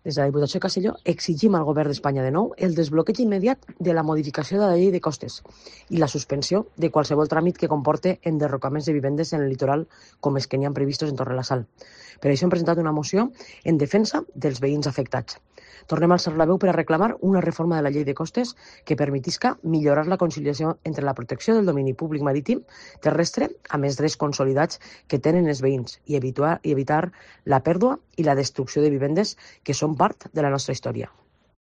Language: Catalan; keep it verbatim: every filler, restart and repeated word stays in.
Des de la Diputació de Castelló exigim al Govern d'Espanya de nou el desbloqueig immediat de la modificació de la llei de costes i la suspensió de qualsevol tràmit que comporte enderrocaments de vivendes en el litoral com els que n'hi ha previstos en Torre la Sal. Per això hem presentat una moció en defensa dels veïns afectats. Tornem a alçar la veu per a reclamar una reforma de la llei de costes que permetisca millorar la conciliació entre la protecció del domini públic marítim terrestre amb els drets consolidats que tenen els veïns i evitar, i evitar la pèrdua i la destrucció de vivendes que són part de la nostra història.